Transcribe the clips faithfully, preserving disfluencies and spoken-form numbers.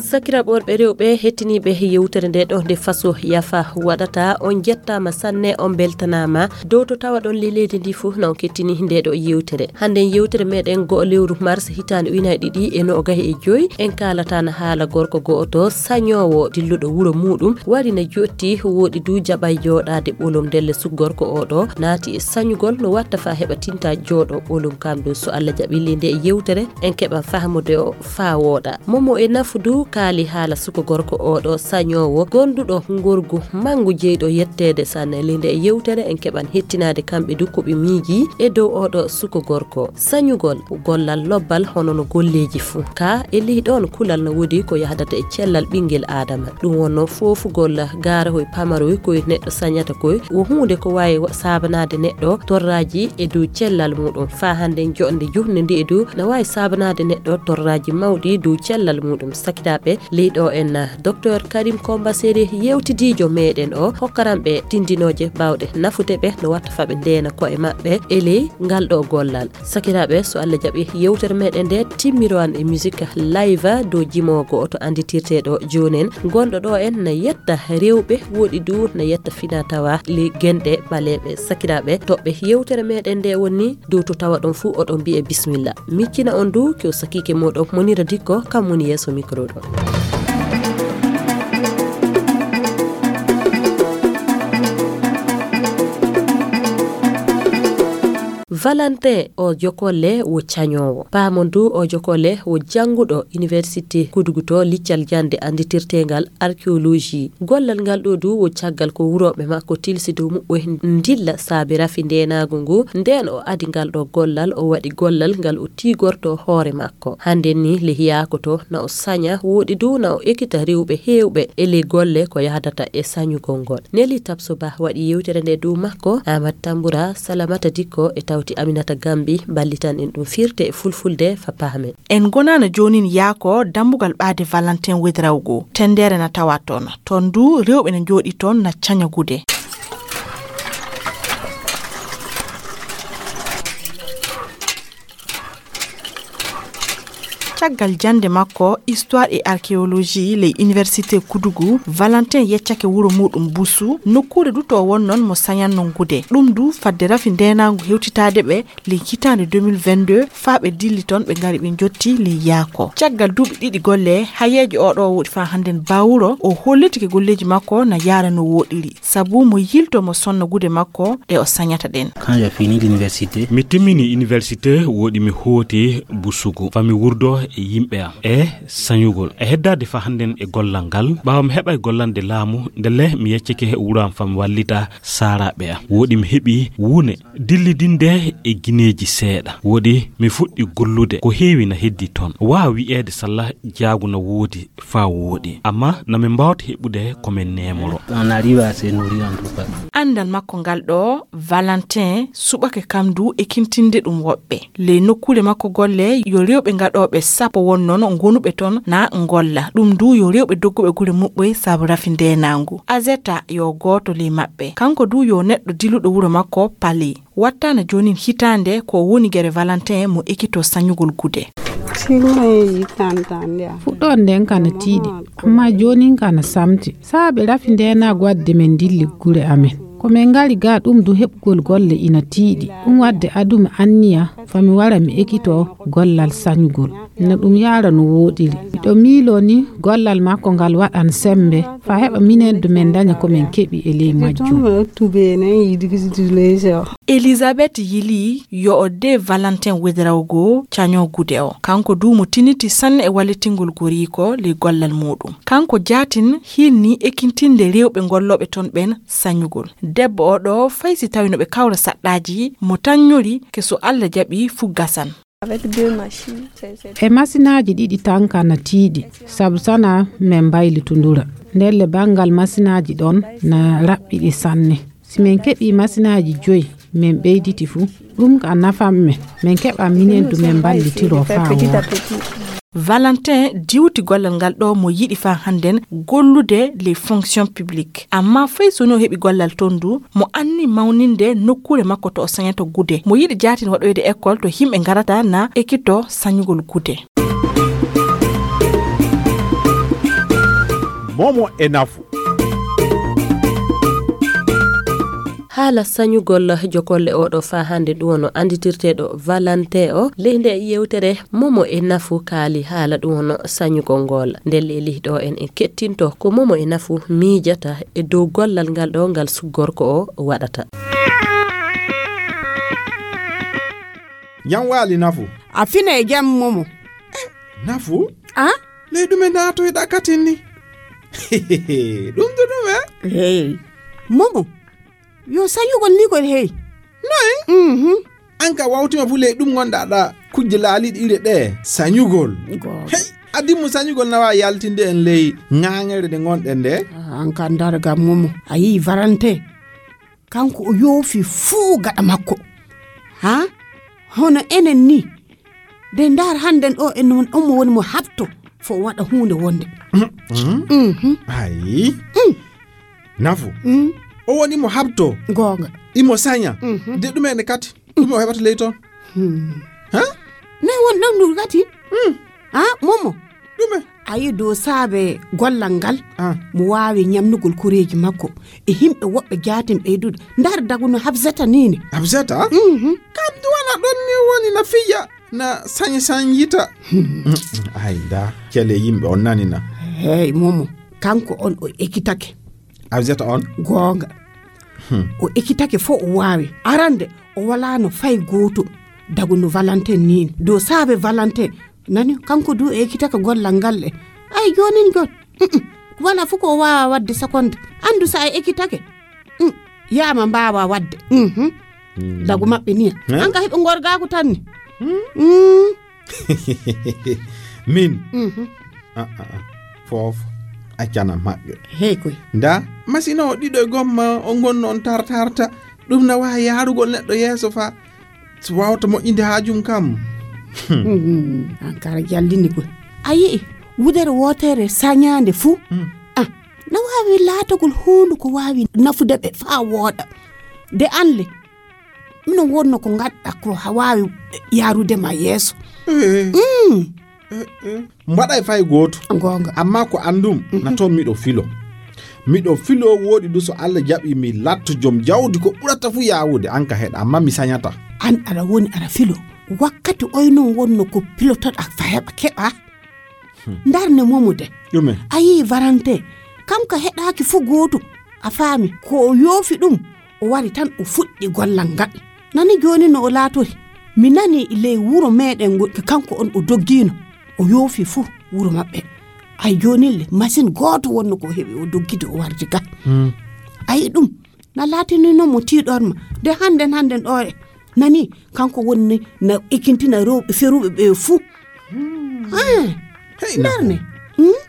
Sakiraaɓe worɓe, rewɓe, hettiniiɓe yewtere nde ɗo nde faso yafa waɗata, on njettaama sanne, on mbeltanaama dow to tawa ɗon le leydi ndi fof na on kettini nde ɗo yewtere. Hannde yewtere meɗen go'o lewru mars hitaande ujunaaji ɗiɗi e noogay e joy, en kaalata na haala gorko go'oto sañoowo dilluɗo wuro muɗum, wari na jotti, woɗi du jaɓay jooɗaade ɓolum ndelle su gorko o ɗo naati e sañugol no watta fa heɓa tinta jooɗo ɓolum kam ɗo. So Allah jaɓi le nde yewtere en keɓa fahmude o fa wooɗa. Momo e nafu du kaali haala suko gorko o ɗo sañoowo gonduɗo ngorgu mangu jeyɗo yetteede sanne. Le nde yewtere en keɓan hettinaade kamɓe du ko ɓe miiji e dow o ɗo suko gorko. Sañugol gollal lobbal hono no golleeji fuu. Ka e ley ɗoon kulal no woodi ko yahdata e cellal ɓinngel Aadama. Ɗum wonno foofugol gaarahoy pamaroy koy neɗɗo sañata koy. Wo huunde ko waawi wa-, saabanaade neɗɗo torraaji e dow cellal muuɗum. Faa hannde joɗnde juhnde ndi e dow na waawi saabanaade neɗɗo torraaji mawɗi dow cellal muuɗum. Sakiraaɓe, ley ɗo en, Docteur Karim Komba Seri yewtidiijo meɗen o hokkaran ɓe tindinooje baawɗe nafude ɓe no watta fa ɓe ndeena ko'e maɓɓe e ley ngal ɗo gollal. Sakiraaɓe, so Allah jaɓi, yewtere meɗen nde timmiro an e musique live dow jimoowo go'oto annditirteeɗo joonen. Gonɗo ɗo en na yetta rewɓe, woɗi du na yetta fina tawa le genɗe ɓaleeɓe. Sakiraaɓe, toɓɓe yewtere meɗen nde woni dow to tawa ɗon fuu oɗon mbi'e bismilla. Miccina on du ke o sakiike moɗon Monira Dikko, kam woni yeeso micro ɗo. Valentin o jokolle wo cañoowo. Paamon du o jokolle wo jannguɗo Université Kudugu to liccal jannde annditirteengal archéologie. Gollal ngal ɗo du wo caggal ko wurooɓe makko tilsi dow muɓɓoy ndilla saabe rafi ndeenaagu ngu. Ndeen o adi ngal ɗo gollal, o waɗi gollal ngal o tiigorto hoore makko. Hannde ni le hiyaako to na o saña, woɗi du na o ekita rewɓe heewɓe e le golle ko yahdata e sañugol ngol. Neli Tabso Ba waɗi yewtere nde dow makko. Amat Tambura, Salamata Dikko e tawti Aminata Gambi ballitan en ɗum firte e fulfulde fa paamen. En gonaana joonin yaako dambugal ɓaade Valentin Wedrawgo. Tendere na tawa toon. Toon du rewɓe na njooɗi toon na caña gude. Caggal jannde makko histoire et archéologie ley Université Kudugu, Valentin yeccake wuro muɗum Busu, nokkuure du to wonnon mo sañanno ngude. Ɗum du fadde rafi ndeenaangu hewtitaade ɓe ley hitaande deux mille vingt-deux, faa ɓe dilli toon, ɓe ngari ɓe njotti ley yaako. Caggal duuɓi ɗiɗi golle, hayeejo o ɗo woɗi faa hannden bawuro, o hollitike golleeji makko na yaara no woɗiri. Sabu mo yilto mo sonna gude makko ɗe o sañata ɗen. Quand j'ai fini l'université, mi timmini université, woɗi mi hooti Busugu. Fa mi wurdo e yimɓe am e sañugol. E heddaade fa hannden e gollal ngal, ɓaawo mi heɓa e gollande laamu, ndelle mi yeccike wuro am fa mi wallita saaraaɓe am. Woɗi mi heɓi wune dillidinde e gineeji seeɗa. Woɗi mi fuɗɗi gollude, ko heewi na heddi toon. Waawa wi'eede salla jaagu na woodi faa wooɗi. Amma na min mbaawta heɓude ko min neemoro. On arrive à se nourrir en tout cas. Anndal makko ngal ɗo, Valentin suɓake kam du ekintinde ɗum woɓɓe. Ley nokkuure makko golle, yo rewɓe gaɗooɓe sappo wonnon gonuɓe toon na ngolla. Ɗum du yo rewɓe dogguɓe gure muɓɓoy sabu rafi ndeenaangu. Azeta yo gooto ley maɓɓe. Kanko du yo neɗɗo diluɗo wuro makko Pali. Wattaana joonin hitaande ko woni gere Valentin mo ekito sañugol gude. Fuɗɗoode nden kana tiiɗi, amma joonin kana samti. Saabe rafi ndeenaagu wadde men dilli gure amen. Ko men ngari ga ɗum du heɓugol golle ina tiiɗi. Ɗum wadde adumi anniya fa mi wara mi ekito gollal sañugol. No ɗum yaara no wooɗiri. Miɗo miiloo ni gollal makko ngal waɗan semmbe, fa heɓa minen du men ndaña ko men keɓi e ley majjum. Elizabeth yilii yo o de Valentin Wedrawgo caño gude o. Kanko du mo tiniti sanne e wallitingol goriiko ley gollal muuɗum. Kanko jaatin hinnii ekintinde rewɓe gollooɓe toon ɓen sañugol. Debbo o ɗo fay si tawi no ɓe kawra saɗɗaaji mo taññori ke so Alla jaɓi fuu gasan. E masinaaji ɗiɗi tan ka na tiiɗi, sabu sana men mbaylitundura. Ndelle banngal masinaaji ɗon na raɓɓiɗi sanne. Si men keɓii masinaaji joyi, men ɓeyditi fu, ɗum ka nafan men. Men keɓa minen du men mballitiro faa wooɗa. Valentin diwti gollal ngal ɗo mo yiɗi faa hannden gollude les fonctions publiques. Ammaa fay so ni o heɓi gollal toon du, mo anni mawninde nokkuure makko to o sañata gude. Mo yiɗi jaatin waɗoyde école to yimɓe ngarata na ekito sañugol gude. Momo e nafu. Haala sañugol jokolle oɗo faa hannde ɗum wano annditirteeɗo Valentin o. Ley nde yewtere Momo e nafu kaali haala ɗum wano sañugol ngol. Ndelle e ley ɗo en, en kettinto ko Momo e nafu miijata e dow gollal ngal ɗo ngal gorko o waɗata. Jam waali nafu. A fina e jam Momo. Nafu? A? Ley ɗume naatoyɗa katin ni? Ɗum to ɗume? Hey. Momo, yo sañugol ni koy hey. Noy? Mhm. An ka wawtima fu ley ɗum gonɗa ɗa kujje laaliɗe ire ɗe sañugol. Hey, adimmu sañugol nawa yaltinde en ley ŋaŋere nde gonɗen nde. An ka ndar gam Momo, a yii Valentin. Kanko o yoofi fuu gaɗa makko. Ha? Hono enen ni. De ndaar hannden o en on omo woni mo habto fo o waɗa huunde wonde. Mhm. Ayi. Nafu. O woni mo habto. Goonga. Imo saña. De ɗum ene kati. Ɗum o heɓata ley toon. Ha? Ne won ɗon ɗum kati? Ha? Momo. Ɗume? A yi dow saabe gollal ngal. Mo waawi ñamnugol koreeji makko e yimɓe woɓɓe jaatin ɓeyduɗo. Ndar daguno Habsata ni ne. Habsata? Mhm. Kam duwana ɗon ni woni na fija na sañi sañyita. Ay da kele yimɓe on nanina. Hey Momo, kanko on o ekitake. Habsata on? Goonga. O ekitake fo o waawi. Arande o walaano fay gooto. Daguno Valentin ni ne. Dow saabe Valentin. Nani kanko du e ekitaka gollal ngal e ay jonin jon. Wala fu ko waawa wadde sekonde. Andu sa e ekitake. Yaama mbaawa wadde. Dagu maɓɓe niya. An ka heɓe ngorgaaku tan ni. Min. Foof accana maɓɓe. Hey koy. Nda masina o ɗiɗo e gomma o ngonno on tartarta. Ɗum na waawi yaarugol neɗɗo yeeso fa so wawta moƴƴinde haajum kam. Ankara jallini koy. A yi'i wudere wootere sañaande fuu. A na waawi laatagol huundu ko waawi nafude ɓe faa wooɗa. De anle mino wonno ko ngaɗɗa ko waawi yaarude ma yeeso. Mbaɗay fay gooto. Goonga. Amma ko anndum na toon miɗo filo. Miɗo filo wooɗi du so Allah jaɓi mi latto joom jawdi ko ɓurata fu yaawude an ka heɗa amma mi sañata. An aɗa woni aɗa filo wakkati oy noon wonno ko pilotoɗa fa heɓa keɓa. Ndarne momo de. Ɗume? A yii Valentin kam ka heɗaaki fu gootum. A faami ko o yoofi ɗum o wari tan o fuɗɗi gollal ngal. Nani jooni no o laatori mi nani ley wuro meɗen ngol kanko on o doggiino. O yoofi fuu wuro maɓɓe. Ay joonin le masin gooto wonno ko heɓi o doggidi o wardi ga. Ayi ɗum na laatinino mo tiiɗorma de hannden hannden ɗoore. Nani kanko wonni na ekintina rewɓe feruɓe ɓe fuu. Hey, ndarne.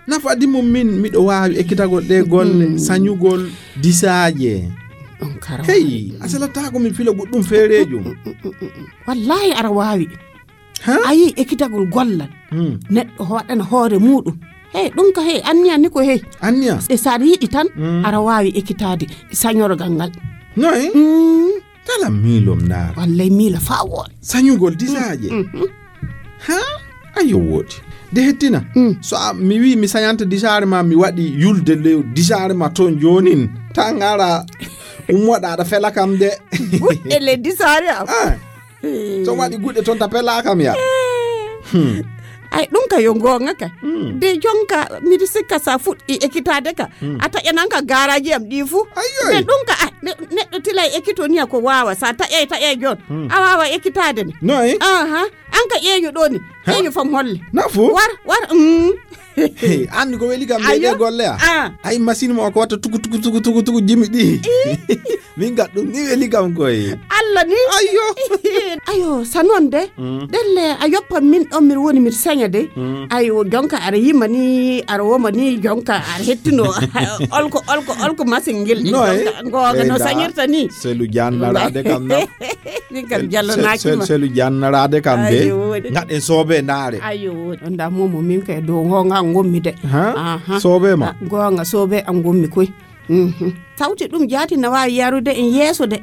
Nafaadi mum min miɗo waawi ekkitagol ɗe golle sañugol disaaje. Hey, a salataako mi fila goɗɗum feereejo. Wallahi aɗa waawi. A yii ekkitagol gollal neɗɗo hoɗana hoore muɗum. Hey, ɗum ka hey anniya ni ko hey anniya. E so aɗa yiɗi tan aɗa waawi ekkitaade sañorgal ngal. Noy? Kala miilom ndaara. Wallay miila faa wooɗa. Sañugol disaaje. Ha? Ayo wooɗi de hettina. So mi wii mi sañanta disaare ma mi waɗi yulde le disaare ma toon joonin ta ngara ummoɗa aɗa fela kam de. Buɗɗe le disaare am. So waɗi guɗɗe toon ta pela kam ya. Ay ɗum ka yo goonga ka de jonka miɗo sikka sa fuɗɗi ekkitaade ka a taƴanan ka garaji am ɗi fuu. Ayoy. Ɗum ka neɗɗo tila e ekkito niya ko waawa sa taƴay taƴay joon a waawa ekkitaade ne. Noy? Aha. An ka ƴeeño ɗo ni ƴeeño fam holle. Nafu? War war. Anndi ko weli kam ɗe golle a ay machine mo ko watta tugu tugu tugu tugu tugu jimi ɗi. Min ga ɗum ni weli kam koy. Allah ni. Ayyo. Ayo, sa noon de. Ɗelle a yoppa min ɗon, miɗa woni miɗa saña de. Ayo, jonka aɗa yima ni, aɗa woma ni, jonka aɗa hettino. Olko, olko, olko masin ngel ɗin. Noy? Jonka, googa no sañirta ni. Selu jannaraade kam na. Min kam jallanaaki ma. Selu jannaraade kam de. Ayo, woodi. Ngaɗen soobe ndaare. Ayo, woodi. On da momo min kay dow ngonga ngommi de. Ha? Aha. Soobe ma. Ah, ngonga soobe an ngommi koy. Mhm. Tawti ɗum jaati na waawi yarude en yeeso de.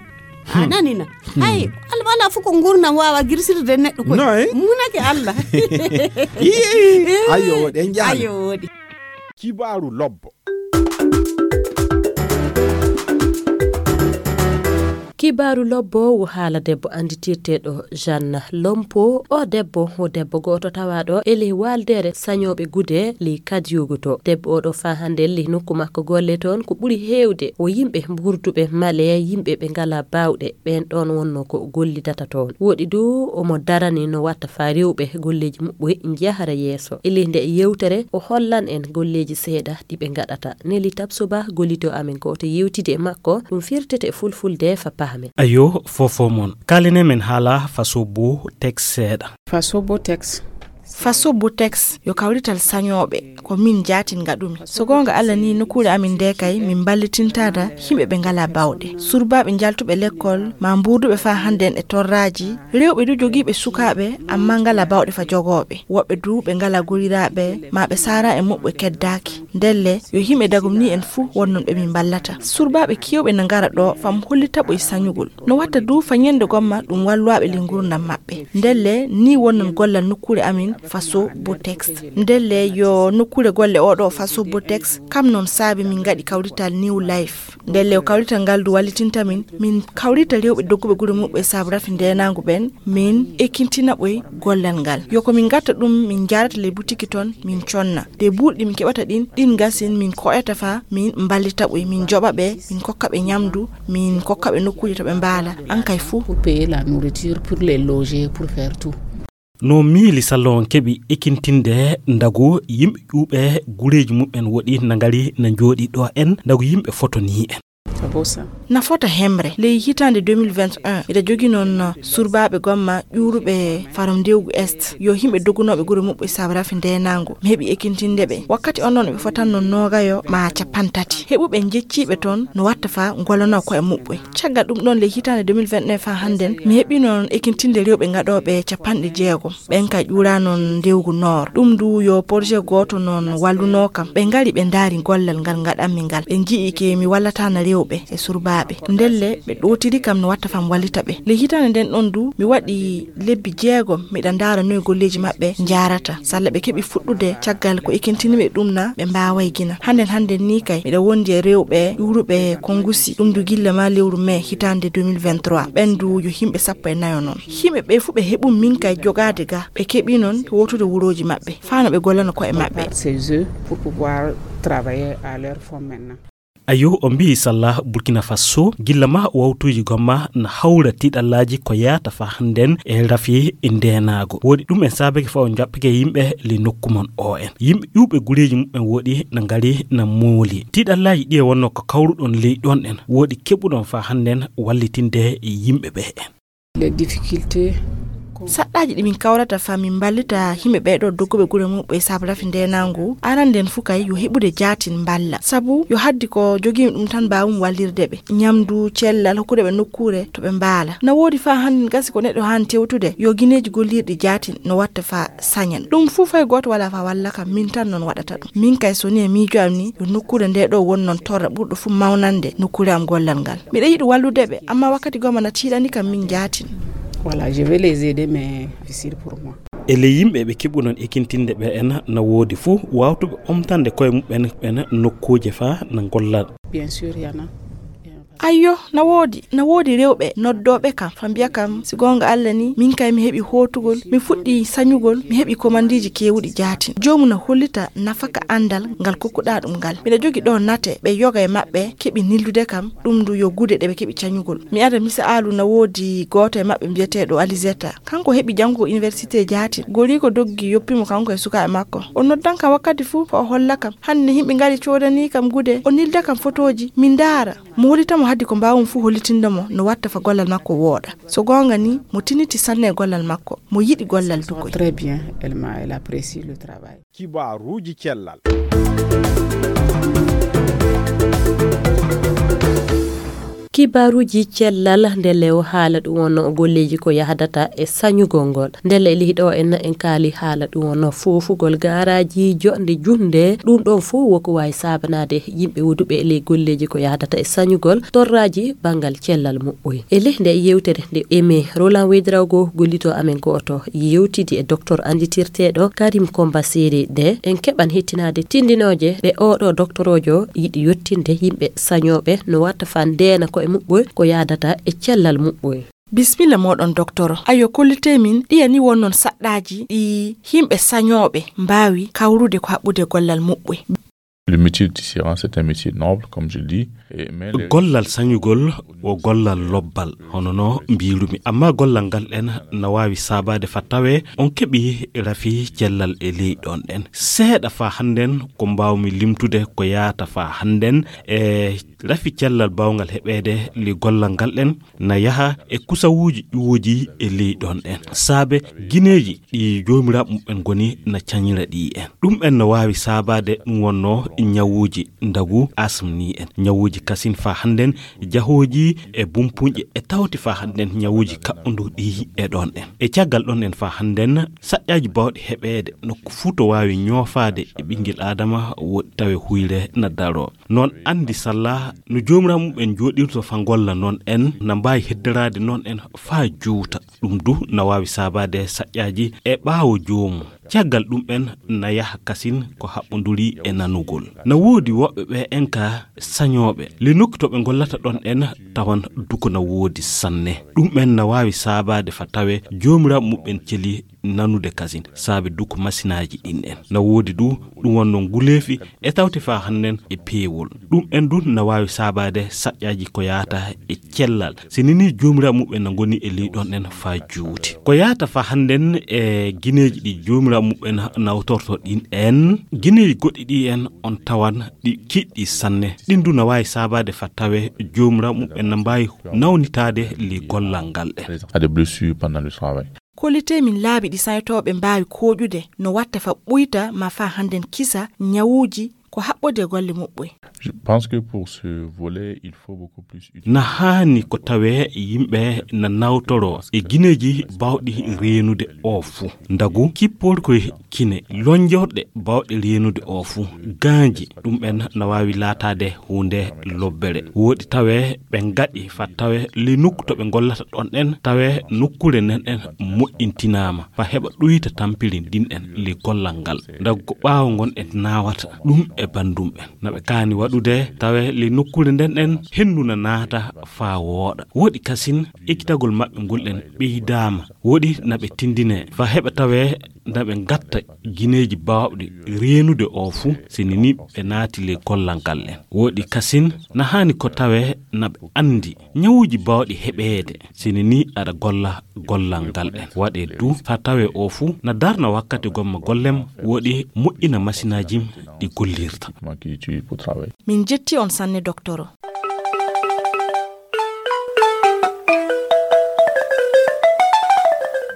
A nani na? Hay, al-, alaa fof ko nguurndam waawa girsirde neɗɗo koy. Noy? Munake Allah. Ii, ayo, woɗi, en njaali. Ayo, woɗi. Kibaaru lobbo. Kibaaru lobbo wo haala debbo annditirteeɗo Jeanne Lompo. O debbo, o debbo gooto tawaaɗo e ley waaldeere sañooɓe gude ley Kadiogo to. Debbo o ɗo faa hannde ley nokku makko golle toon, ko ɓuri heewde o yimɓe mburduɓe male, yimɓe ɓe ngalaa baawɗe. Ɓeen ɗoon wonnoo ko gollidata toon. Woɗi du omo darani no watta faa rewɓe golleeji muɓɓoy njahara yeeso. E ley nde yewtere, o hollan en golleeji seeɗa ɗi ɓe ngaɗata. Neli Tabsoba, gollito amen gooto, yewtidi e makko. Ɗum firtete e fulfulde fa pahamen. Ayo, fofo mon. Kaalinen men haala faso bo teks seeɗa. Faso bo teks. Faso bo teks yo kawrital sañooɓe. Ko min jaatin ngaɗumi. So goonga Alla ni, nokkuure amin nde kay, min mballitintata yimɓe ɓe ngalaa baawɗe. Surbaaɓe njaltuɓe lekkol, ma mbuurduɓe faa hannden e torraaji. Rewɓe du jogiiɓe sukaaɓe, amma ngalaa baawɗe fa jogooɓe. Woɓɓe du ɓe ngalaa goriraaɓe, ma ɓe saara e muɓɓe keddaaki. Ndelle, yo yimɓe dagum ni en fuu wonnon ɓe min mballata. Surbaaɓe keewɓe na ngara ɗo fam hollita ɓoy sañugol. No watta du fa ñande gomma ɗum walluwaaɓe ley nguurndam maɓɓe. Ndelle, ni wonnon gollal nokkuure amin Faso Botex. Ndelle, yo nokkuure golle oɗo Faso Botex, kam noon saabi min ngaɗi kawrital New Life. Ndelle, o kawrital ngal du wallitinta min, min kawrita rewɓe dogguɓe gure muɓɓe saabu rafi ndeenaangu ɓen, min ekintina ɓoy gollal ngal. Yo ko min ngatta ɗum, min njaarata ley butiki toon, min conna. De buuɗi ɗi min keɓata ɗin, ɗin ngasin min ko'eta fa, min mballita ɓoy, min joɓa ɓe, min kokka ɓe ñamdu, min kokka ɓe nokkuuje to ɓe mbaala, an kay fuu. Pour payer la nourriture, pour les loger, pour faire tout. No miili salon keɓi ekintinde ndagu yimɓe ƴuuɓe gureeji muɓɓen woɗi na ngari na njooɗi ɗo en, ndagu yimɓe foto ni en. C'est beau ça. Na fota hemre. Ley hitaande deux mille vingt et un, miɗa jogi noon surbaaɓe gomma ƴuuruɓe faram ndewgu Est. Yo yimɓe dogunooɓe gure muɓɓe saabu rafi ndeenaangu. Mi heɓi ekintinde ɓe. Wakkati on noon ɓe fotan noon noogayo ma capanɗe tati. Heɓuɓe njecciiɓe toon no watta fa ngollanoo koye muɓɓe. Caggal ɗum ɗoon ley hitaande deux mille vingt et un fa hannden, mi heɓi noon ekintinde rewɓe ngaɗooɓe capanɗe jeego. Ɓen kay ƴuura noon ndewgu noor. Ɗum du yo projet gooto noon wallunoo kam. Ɓe ngari ɓe ndaari gollal ngal ngaɗanmi ngal. Ɓe nji'i ke mi wallataana rewɓe e surbaaɓe. Ndelle ɓe ɗootiri kam no watta fam wallita ɓe. Ley hitaande nden ɗon du mi waɗi lebbi jeegom miɗa ndaara noy golleeji maɓɓe njaarata. Salla ɓe keɓi fuɗɗude caggal ko ekintini ɓe ɗum na ɓe mbaaway gina. Hannden hannden ni kay miɗa wondi e rewɓe ƴuuruɓe Kongusi. Ɗum du gilla ma lewru mai hitaande deux mille vingt-trois. Ɓen du yo yimɓe sappo e nayo noon. Yimɓe ɓe fuu ɓe heɓum min kay jogaade ga. Ɓe keɓi noon wootude wurooji maɓɓe. Faa no ɓe gollana ko'e maɓɓe. Chez eux pour pouvoir travailler à leur forme maintenant. Ayo, o mbiyi salla Burkina Faso, gilla ma wawtuuji gomma na hawra tiiɗallaaji ko yaata fa hannden e rafi ndeenaago. Woɗi ɗum en saabake fa o jaɓɓake yimɓe le nokku mon o en. Yimɓe ƴuuɓe gureeji muɓɓen woɗi na ngari na mooli. Tiiɗallaaji ɗi e wonno ko kawruɗon ley ɗon en. Woɗi keɓuɗon fa hannden wallitinde yimɓe ɓe en. Les difficultés. Saɗɗaaji ɗi min kawrata fa min mballita yimɓe ɓee ɗoo dogguɓe gure muɓɓe saabu rafi ndeenaangu, aran nden fuu kay yo heɓude jaatin mballa. Sabu yo haddi ko jogiimi ɗum tan mbaawum wallirde ɓe. Ñamdu, cellal, hokkude ɓe nokkuure to ɓe mbaala. Na woodi fa hannden gasi ko neɗɗo haani tewtude, yo gineeji gollirɗi jaatin no watta fa sañan. Ɗum fuu fay gooto walaa fa walla kam, min tan noon waɗata ɗum. Min kay so ni e miijo am ni, yo nokkuure nde ɗoo won noon torra ɓurɗo fuu mawnande nokkuure am gollal ngal. Miɗa yiɗi wallude ɓe, amma wakkati goma na tiiɗani kam min jaatin. Voilà, je vais les aider, mais difficile pour moi. E ley yimɓe ɓe keɓuɗon ekintinde ɓe en na woodi fuu wawtuɓe omtande koye muɓɓen ɓen nokkuuje fa na gollal. Bien sûr, y en a. Ayyo, na woodi, na woodi rewɓe noddooɓe kam, fa mbiya kam, si goonga Alla ni, min kay mi heɓi hootugol, mi fuɗɗi sañugol, mi heɓi komandiiji keewuɗi jaatin. Joomu na hollita nafaka anndal ngal kokkuɗaa ɗum ngal. Miɗa jogi ɗo nate, ɓe yoga e maɓɓe keɓi nildude kam, ɗum du yo gude ɗe ɓe keɓi cañugol. Mi ada misaalu, na woodi gooto e maɓɓe mbiyeteeɗo Alizeta. Kanko heɓi janngugo université jaatin. Goriiko doggi yoppi mo kanko e sukaaɓe makko. O noddan kam wakkati fuu, ko o holla kam. Hannde yimɓe ngari coodanii kam gude, o nilda kam fotooji, mi ndaara. Mo hollita mo Haadi ko mbaawmi fuu hollitinde mo no watta fa gollal makko wooɗa. So goonga ni, mo tiniti sanne e gollal makko, mo yiɗi gollal dukoy. Très bien, elle m'a, elle apprécie le travail. Kibaaruuji cellal. Kibaaruuji cellal, nde lew haala ɗum wonno golleeji ko yahdata e sañugol ngol. Ndelle e leyɗo en, en kaali haala ɗum wonno foofugol gaaraaji joɗnde juhnde. Ɗum ɗon fof woko waawi saabanaade yimɓe woduɓe e ley golleeji ko yahdata e sañugol torraaji banngal cellal muɓɓoy. E ley nde yewtere nde emi Roland Wedraogo gollito amen gooto yewtidi e docteur annditirteeɗo Karim Komba Seri de, en keɓan hettinaade tindinooje ɗe oɗo doktorojo yiɗi yottinde yimɓe sañooɓe no watta fa ndeena koye muɓɓoy ko yaadata e cellal muɓɓoy. Bismilla mooɗon, doktoro. Ayo, kollitee min, ɗiya ni wonnon saɗɗaaji ɗi yimɓe sañooɓe mbaawi kawrude ko haɓɓude gollal muɓɓoy? Le métier de tisserand, c'est un métier noble, comme je le dis. Et, mais les Gollal sañugol o gollal lobbal, hono no mbiirumi. Amma gollal ngal ɗen na waawi saabaade fa tawee on keɓi rafi cellal e ley ɗon ɗen. Seeɗa fa hannden ko mbaawmi limtude ko yaata fa hannden e rafi cellal baawngal heɓeede ley gollal ngal ɗen na yaha e kusawuuji ƴuwoji e ley ɗon ɗen. Saabe gineeji ɗi joomiraaɓe muɓɓen ngoni na cañira ɗi en. Ɗum en no waawi saabaade ɗum wonno ñawuuji ndagu asm ni en. Ñawuuji kasin fa hannden jahooji e bumpuñƴe e tawti fa hannden ñawuuji kaɓɓunduɗi e ɗon ɗen. E caggal ɗon en fa hannden saƴƴaaji baawɗi heɓeede nokku fuu to waawi ñoofaade e ɓinngel Aadama woɗɗi tawe huyre na daroo. Noon anndi salla no joomiraaɓe muɓɓen njooɗirto fa ngolla noon en na mbaawi hedderaade noon en faa juuta. Ɗum du na waawi saabaade saƴƴaaji e ɓaawo joomum. Caggal ɗum en na yaha kasin ko haɓɓonduri e nanugol. Na woodi woɓɓe ɓe en ka sañooɓe. Le nokku to ɓe ngollata ɗon en tawan duko na woodi sanne. Ɗum en na waawi saabaade fa tawe joomiraaɓe muɓɓen celi nanude kasin saabe duko masinaaji ɗin en. Na woodi du ɗum wonno nguleefi e tawti fa hannden e peewol. Ɗum en du na waawi saabaade saƴƴaaji ko yaata e cellal. Si nini joomiraaɓe muɓɓen na ngoni e ley ɗon en faa juuti. Ko yaata fa hannden e gineeji ɗi joomiraaɓe muɓɓen nawtorto ɗin en. Gineeji goɗɗi ɗi en on tawan ɗi kiɗɗi sanne. Ɗin du na waawi saabaade fa tawe joomiraaɓe muɓɓen na mbaawi nawnitaade ley gollal ngal ɗen. À des blessures pendant le travail. Kollitee min laabi ɗi sañotooɓe mbaawi kooƴude no watta fa ɓuyta ma fa hannden kisa ñawuuji ko haɓɓode golle muɓɓoy. Je pense que pour ce volet, il faut beaucoup plus utiliser. Na haani ko tawee yimɓe na nawtoroo e gineeji baawɗi reenude oo fuu. Ndagu kippoori koye kine, lonjorɗe baawɗe reenude oo fuu, gaanji, ɗum en na waawi laataade huunde lobbere. Woɗi tawee ɓe ngaɗi fa tawee ley nokku to ɓe ngollata ɗon en, tawee nokkuure nden en moƴƴintinaama fa heɓa ɗuyta tampiri ndin en ley gollal ngal. Ndagu ko ɓaawo ngon en naawata ɗum e banndum en. Na ɓe kaani waɗude tawee ley nokkuure nden en henndu na naata faa wooɗa. Woɗi kasin ekkitagol maɓɓe ngol en ɓeydaama. Woɗi na ɓe tindinee fa heɓa tawee na ɓe ngatta gineeji baawɗi reenude oo fuu, si nini ɓe naati ley gollal ngal en. Woɗi kasin na haani ko tawee na ɓe anndi ñawuuji baawɗi heɓeede, si nini aɗa golla gollal ngal en. Waɗee du fa tawee oo fuu na darna wakkati gomma gollem, woɗi moƴƴina masinaaji ɗi gollirta. Qui utilise pour travailler. Min jetti on sanne, doktoro.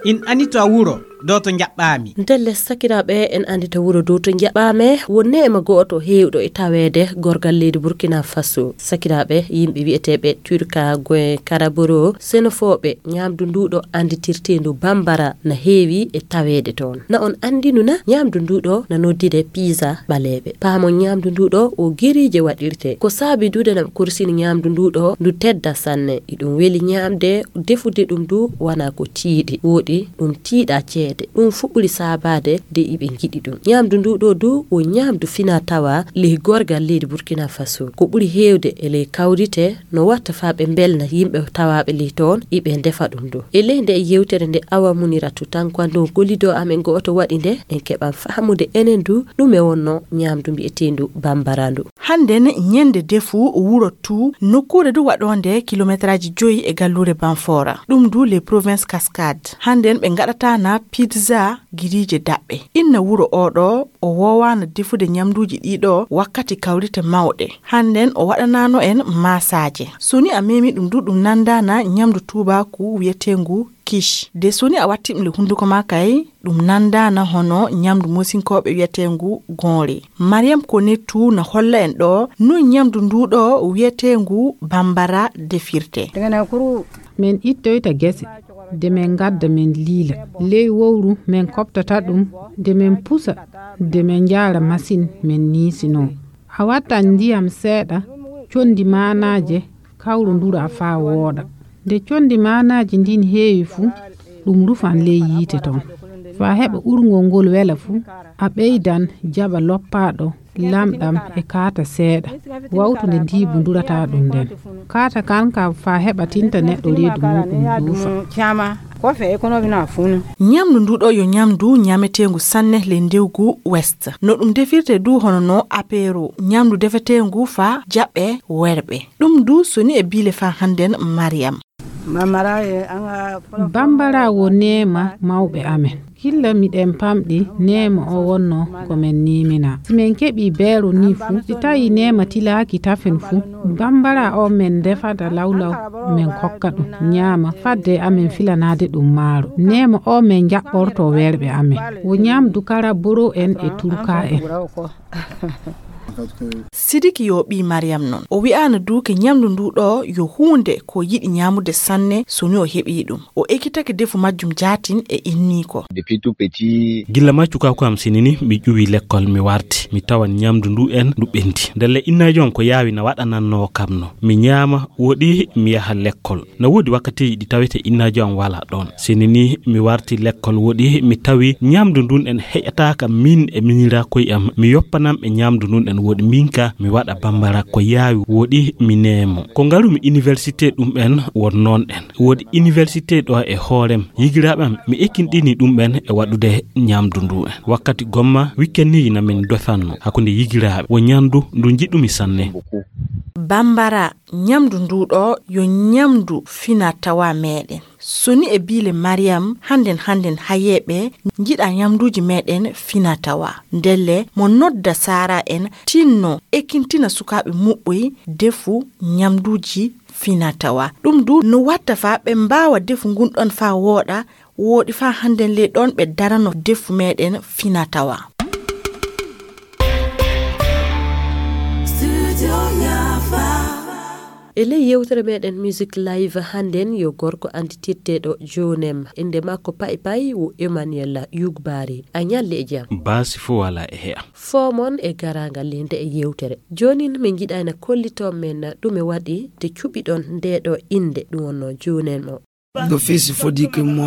In anita wuro dow to njaɓɓaami. Ndelle sakiraaɓe, en andita wuro dow to njaɓɓaame. Won neema go'oto heewɗo e taweede gorgal leydi Burkina Faso. Sakiraaɓe, yimɓe wi'eteeɓe Turka Gwen Karaboro, senofooɓe ñaamdu nduuɗo anditirteendu Bambara na heewi e taweede toon. Na on andinu na ñaamdu nduuɗo na noddire pizza ɓaleeɓe. Paamon ñaamdu nduuɗo o geriije waɗirte. Ko saabi duude na ɓe korsini ñaamdu nduuɗo ndu tedda sanne. Iɗum weli ñaamde, defude ɗum du wana ko tiiɗi. Woɗi ɗum tiiɗa ceede. Ɗum fu ɓuri saabaade de iɓe ngiɗi ɗum. Ñaamdu nduuɗo du wo ñaamdu fina tawa ley gorgal leydi Burkina Faso. Ko ɓuri heewde e ley kawrite no watta faa ɓe mbelna yimɓe tawaaɓe ley toon, iɓe ndefa ɗum du. E ley nde yewtere nde Awa Muniratu Tankwando gollido amen go'oto waɗi nde, en keɓan fahamude enen du ɗume wonno ñaamdu mbi'eteendu Bambara ndu. Hannden ñende defu wuro Tuu, nokkuure du waɗoonde kilometraaji joyi e galluure Banfora. Ɗum du les provinces Cascade. Hannden ɓe ngaɗata na Pizza, giriije daɓɓe. Inna wuro oo ɗoo, o woowaano defude ñamduuji ɗii ɗoo wakkati kawrite mawɗe. Hannden o waɗanaano en maasaaje. So ni a memi ɗum du, ɗum nanndaana ñamdu tuubaaku wiyeteengu quiche. De so ni a watti ɗum le hunnduko maa kay, ɗum nanndaana hono ñamdu Moosinkooɓe wiyeteengu gonre. Mariam Konetu na holla en ɗoo no ñamdu nduu ɗoo wiyeteengu bambara defirte. Min ittoyta gese, de min ngadda min liila. Ley wowru min koɓtata ɗum, de min pusa, de min njaara masin, min niisinoo. A wattan ndiyam seeɗa, conndi maanaaje, kawrondura faa wooɗa. Nde conndi maanaaji ndin heewi fu, ɗum rufan ley yiite ton. Faa heɓa urngol ngol wela fu, a ɓeydan jaɓa loppaaɗo lamɗam e kaata seeɗa, wawtunde ndiibu ndurataa ɗum nden. Kaata kan ka faa heɓa tinta neɗɗo reedu muuɗum duufa. Ñamdu ndu ɗo yo ñamdu ñameteengu sanne ley ndewgu West. No ɗum defirte du hono no apéro, ñamdu defeteengu faa jaɓɓe werɓe. Ɗum du so ni e biile faa hannden Mariam. Bambara wo neema mawɓe amen. Gilla miɗen pamɗi neema o wonno ko men niimina. Si men keɓii beero ni fu, si tawi neema tilaaki tafen fu, bambara o men defata lawlaw men kokka ɗum ñaama fadde amen filanaade ɗum maaro. Neema o men jaɓɓorto werɓe amen. Wo ñamdu kara boro en e turka en. Sidiki yo ɓii Mariam non. O wi'aano du ke ñamdu ndu ɗo yo huunde ko yiɗi ñaamude sanne so ni o heɓii ɗum. O ekkitake defu majjum jaatin e inniiko. Gilla ma cukaaku am sinini mi ƴuwi lekkol mi warti. Mi tawan ñamdu ndu en ndu ɓendi. Ndelle innaajo am ko yaawi na waɗanannoo kam no. Mi ñaama woɗi mi yaha lekkol. Na woodi wakkatiiji ɗi tawete innaajo am walaa ɗoon. Sinini mi warti lekkol woɗi mi tawi ñamdu ndun en heƴataaka min e miñiraa koy am. Mi yoppanam ɓe ñamdu ndun en woɗi min ka mi waɗa bambara ko yaawi woɗi mi neemo. Ko ngarumi université ɗum en won noon en. Woodi université ɗo e hoorem. Yigiraaɓe am mi ekkinɗini ɗum en e waɗude ñamdu ndu en. Wakkati gomma wikkenniiji na min dofanno hakkunde yigiraaɓe. Wo ñamdu ndu njiɗumi sanne. Bambara, ñamdu ndu ɗo yo ñamdu fina tawa meɗen. So ni e biile Mariam, hannden hannden hayeeɓe njiɗa ñamduuji meɗen fina tawa. Ndelle mo nodda saara en tinno ekkintina sukaaɓe muɓɓoy defu ñamduuji fina tawa. Ɗum du no watta faa ɓe mbaawa defu ngun ɗon faa wooɗa, wooɗi faa hannden ley ɗon ɓe darano defu meɗen fina tawa. E ley yewtere meɗen Music Live hannden yo gorko annditirteeɗo Jonem. Innde makko Pay Pay wo Emmanuel Yugbari. A ñalli e jam. Baasi fo wala e he'a. Foomon e garaangal ley nde e yewtere. Joonin min njiɗayna kollito men ɗume waɗi nde cuɓiɗon nde ɗo innde ɗum wonno Jonem o.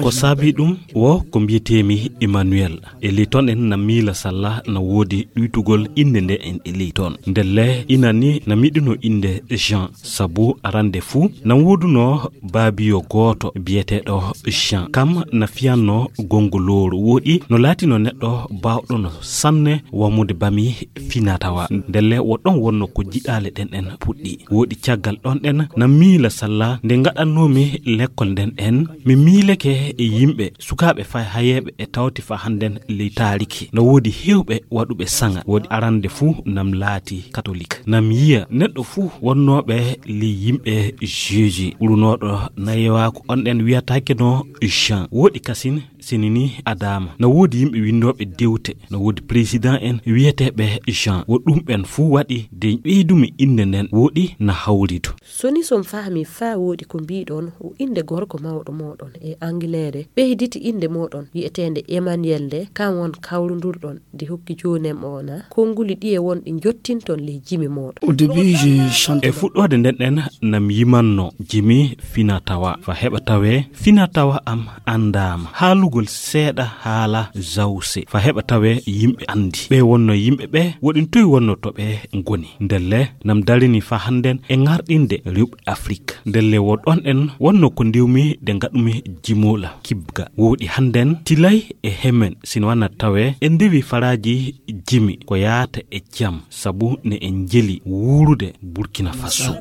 Ko saabi ɗum wo ko mbiyeteemi Emmanuel. E ley ton en na miila salla na woodi ɗuytugol innde nde en e ley ton. Ndelle inani na miɗuno innde Jean, sabu arande fuu na woodunoo baabiyo gooto biyeteeɗo Jean. Kam na fiyanno gongolooru woɗi no laatino neɗɗo baawɗono sanne wamude bami fina tawa. Ndelle wo ɗon wonno ko jiɗaale ɗen en puɗɗi. Woɗi caggal ɗon ɗen na miila salla nde ngaɗannoomi lekkol nden en, mi miileke e yimɓe, sukaaɓe fay hayeeɓe e tawti fa hannden ley taariki. No woodi heewɓe waɗuɓe saŋa. Woodi arande fuu nam laati katolik. Nam yiya neɗɗo fuu wonnooɓe ley yimɓe Jeeji. Ɓurunooɗo nayewaaku on ɗen wiyataake no Jean. Woodi kasin sinini Adaama. Na woodi yimɓe winndooɓe dewte. Na woodi président en wiyeteeɓe Jean. Wo ɗum ɓen fuu waɗi de ɓeydumi innde nden woɗi na hawridu. So ni son fahmi faa woɗi ko mbiɗon, o innde gorko mawɗo mooɗon e Angleere, ɓeyditi innde mooɗon wi'eteende Emmanuel nde, kan won kawrundurɗon de hokki Jonem o na, konnguli ɗiye won ɗi njottinton ley jimi mooɗon. E fuɗɗoode nden ɗen nam yimanno jimi fina tawa, fa heɓa tawee fina tawa am anndaama. Haalugol seeɗa haala Zawse, fa heɓa tawee yimɓe anndi. Ɓe wonno yimɓe ɓe, woɗin toy wonno to ɓe ngoni. Ndelle nam darini fa hannden e ŋarɗinde rewɓe Afrik. Ndelle wo ɗon en wonno ko ndewmi de ngaɗumi jimoola kibga. Woɗi hannden tilay e hemen sino wana tawee e ndewi faraaji jimi ko yaata e jam sabu ne en njeli wuurude Burkina Faso.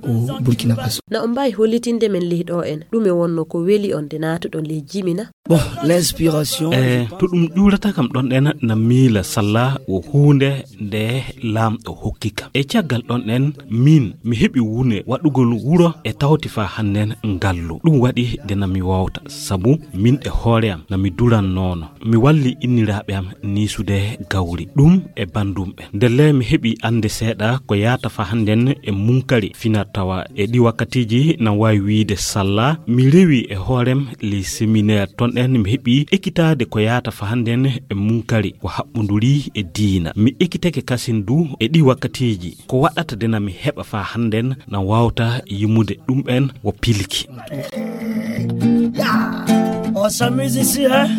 Na on mbaawi hollitinde men ley ɗo en ɗume wonno ko weli on nde naatuɗon ley jimi na? Bon, l'inspiration, e to ɗum ƴuurata kam ɗon ɗen na miila salla o huunde nde laamɗo hokki kam. E caggal ɗon ɗen min mi heɓi wune waɗugol wuro e tawti fa hannden ngallu. Ɗum waɗi nde na mi wawta, sabu min e hoore am na mi durannoono. Mi walli inniraaɓe am niisude gawri. Ɗum e bandum ɓen. Ndelle mi heɓi annde seeɗa ko yaata fa hannden e munkari fina tawa e ɗi wakkatiiji na waawi wiide salla. Mi rewi e hoorem ley séminaire ton ɗen mi heɓi ekitaade ko yaata fa hannden e munkari ko haɓɓonduri e diina. Mi ekitake kasin du e ɗi wakkatiiji ko waɗata dena mi heɓa fa hannden na wawta yimude ɗum ɓen wo pilki. On s'amuse ici, hein?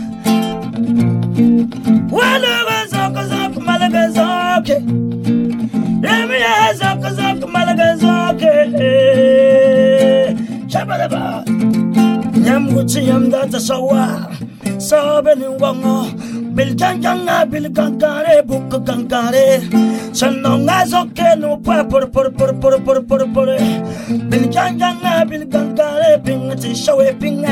Wala zok zok malaga zok. Remiya zok zok malaga zok. Shabalaba. Nyam gucci nyam data sawa. Sabe ni wango. Bil janganga bil gangare buk gangare. Sanonga zoke no pa por por por por por por por. Bil janganga bil gangare ping ti shawe ping.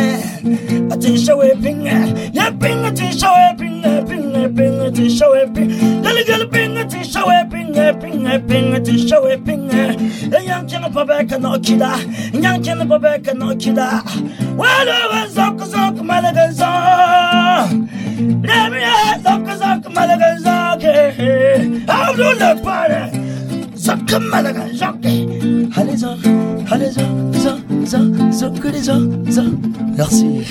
Ati shawe ping. Ya ping ti shawe ping ping ping ti shawe ping. Gal gal ping ti shawe ping ping ping ti shawe ping. Yang chang pa ba ka no kida. Yang chang pa ba ka no kida. Wala zok zok malaga zok. Remiya zok zok malaga zok. Abdul pare. Zok malaga zok. Haliza haliza za za zok za za. Merci.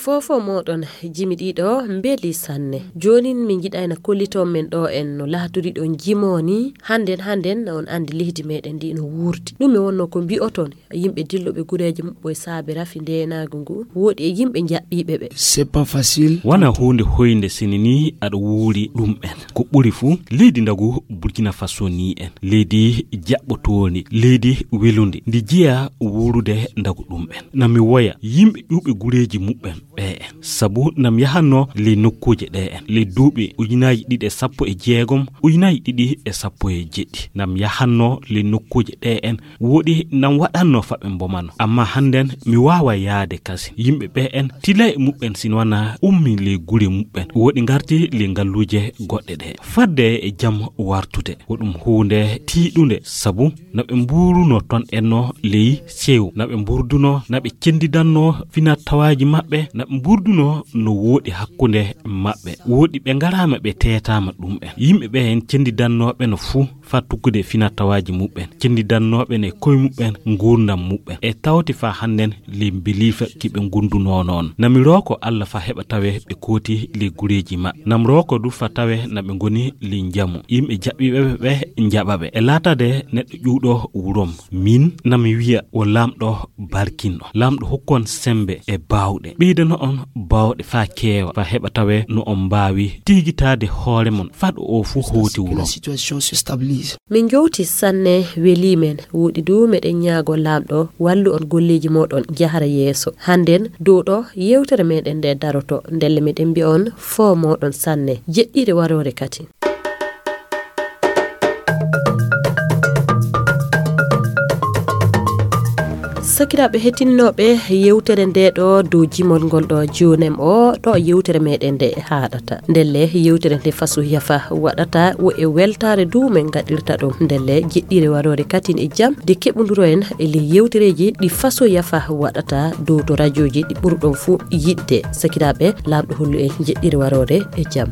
Fofo moɗon jimi ɗiɗo mbeli sanne. Jonin min jiɗayna kolliton men ɗo en no laaturi ɗon jimoni. Hannden hannden on andi leydi meɗen ndi no wurdi. Ɗum mi wonno ko mbi'oton yimɓe dilloɓe gureeji muɓɓo e saabe rafi ndeenaagu ngu woɗi e yimɓe jaɓɓiiɓe ɓe. C'est pas facile. Wana huunde hoynde sini ni aɗa wuuri ɗum en. Ko ɓuri fuu leydi ndagu Burkina Faso ni en. Leydi jaɓɓotoondi, leydi welundi. Ndi jiya wuurude ndagu ɗum en. Na mi woya yimɓe ƴuuɓe gureeji muɓɓen ɓe en. Sabu na mi yahanno ley nokkuuje ɗe en. Ley duuɓi ujunaaji ɗiɗi e sappo e jeegom, ujunaaji ɗiɗi e sappo e jeɗɗi. Na mi yahanno ley nokkuuje ɗe en. Woɗi nam waɗanno fa ɓe mbomano. Amma hannden mi waawa yaade kasi. Yimɓe ɓe en tila e muɓɓen sin wana ummi ley gure muɓɓen. Woɗi ngarti ley ngalluuje goɗɗe ɗe. Fadde e jam wartude. Ko ɗum huunde tiiɗunde sabu na ɓe mbuuruno ton enno ley sew. Na ɓe mburduno, na ɓe cendidanno fina tawaaji maɓɓe. Na ɓe mburduno no woɗi hakkunde maɓɓe. Woɗi ɓe ngaraama ɓe teetaama ɗum en. Yimɓe ɓe en cendidannooɓe no fuu. Fa tuggude fina tawaaji muɓɓen, cendidannooɓe ne koye muɓɓen, nguurndam muɓɓen. E tawti fa hannden ley mbeliifa ki ɓe ngundunoo noon. Na mi rooko Alla fa heɓa tawe ɓe kooti ley gureeji maɓɓe. Na mi rooko du fa tawe na ɓe ngoni ley njamu. Yimɓe jaɓɓiiɓe ɓe njaɓa ɓe. E laatade neɗɗo ƴuwɗo wurom. Min na mi wiya o laamɗo barkinɗo. Laamɗo hokkon sembe e baawɗe. Ɓeydano on baawɗe fa keewa fa heɓa tawe no on mbaawi tigitaade hoore mon. Faɗo o fuu hooti wuro. Situation se stabilise. Min jowti sanne weli men. Woɗi du meɗen ñaago laamɗo wallu on golleeji moɗon jahara yeeso. Hannden dow ɗo yewtere meɗen nde daroto. Ndelle meɗen mbiya on fo moɗon sanne. Jeɗɗire waroore kati. Sakiraaɓe heɗitinooɓe yewtere nde ɗo dow jimol ngol ɗo jonem o ɗo yewtere meɗen nde haɗata. Ndelle yewtere nde faso yafa waɗata wo e weltaare du men gaɗirta ɗum. Ndelle jeɗɗire waroore katin e jam de keɓunduro en e ley yewtereeji ɗi faso yafa waɗata dow to rajooji ɗi ɓurɗon fuu yiɗde. Sakiraaɓe laamɗo hollu en jeɗɗire waroore e jam.